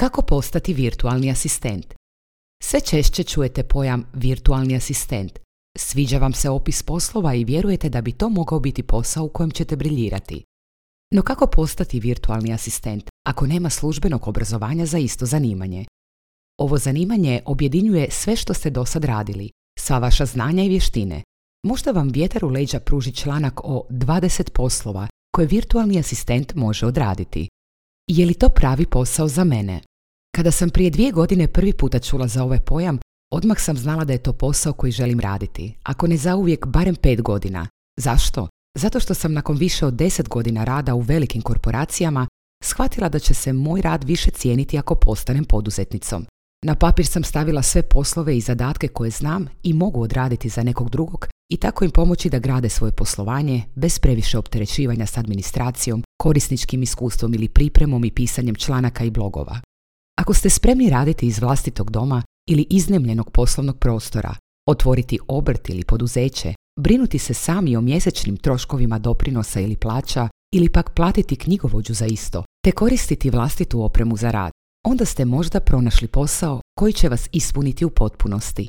Kako postati virtualni asistent? Sve češće čujete pojam virtualni asistent. Sviđa vam se opis poslova i vjerujete da bi to mogao biti posao u kojem ćete briljirati. No kako postati virtualni asistent ako nema službenog obrazovanja za isto zanimanje? Ovo zanimanje objedinjuje sve što ste dosad radili, sva vaša znanja i vještine. Možda vam vjetar u leđa pruži članak o 20 poslova koje virtualni asistent može odraditi. Je li to pravi posao za mene? Kada sam prije 2 godine prvi puta čula za ovaj pojam, odmah sam znala da je to posao koji želim raditi, ako ne zauvijek barem 5 godina. Zašto? Zato što sam nakon više od 10 godina rada u velikim korporacijama shvatila da će se moj rad više cijeniti ako postanem poduzetnicom. Na papir sam stavila sve poslove i zadatke koje znam i mogu odraditi za nekog drugog i tako im pomoći da grade svoje poslovanje bez previše opterećivanja s administracijom, korisničkim iskustvom ili pripremom i pisanjem članaka i blogova. Ako ste spremni raditi iz vlastitog doma ili iznajmljenog poslovnog prostora, otvoriti obrt ili poduzeće, brinuti se sami o mjesečnim troškovima doprinosa ili plaća ili pak platiti knjigovođu za isto, te koristiti vlastitu opremu za rad, onda ste možda pronašli posao koji će vas ispuniti u potpunosti.